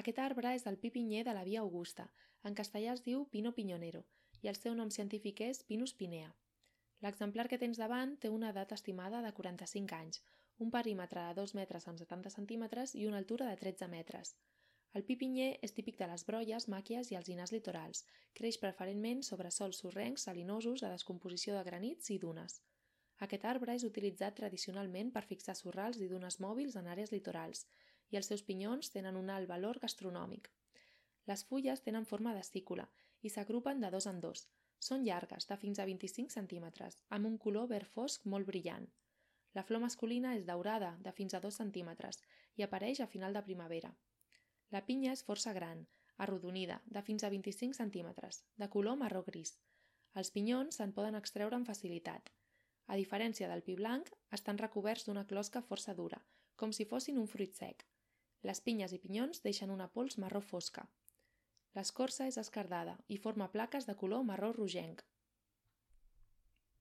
Aquest arbre és el pi pinyer de la Via Augusta, en castellà es diu Pino piñonero, i el seu nom científic és Pinus pinea. L'exemplar que tens davant té una edat estimada de 45 anys, un perímetre de 2 metres amb 70 centímetres i una altura de 13 metres. El pi pinyer és típic de les brolles, màquies i alzinars litorals. Creix preferentment sobre sòls sorrencs, salinosos, de descomposició de granits i dunes. Aquest arbre és utilitzat tradicionalment per fixar sorrals i dunes mòbils en àrees litorals, i els seus pinyons tenen un alt valor gastronòmic. Les fulles tenen forma d'estícula i s'agrupen de dos en dos. Són llargues, de fins a 25 centímetres, amb un color verd fosc molt brillant. La flor masculina és daurada, de fins a 2 centímetres, i apareix a final de primavera. La pinya és força gran, arrodonida, de fins a 25 centímetres, de color marró gris. Els pinyons se'n poden extreure amb facilitat. A diferència del pi blanc, estan recoberts d'una closca força dura, com si fossin un fruit sec. Les pinyes i pinyons deixen una pols marró fosca. L'escorça és esquerdada i forma plaques de color marró rogenc.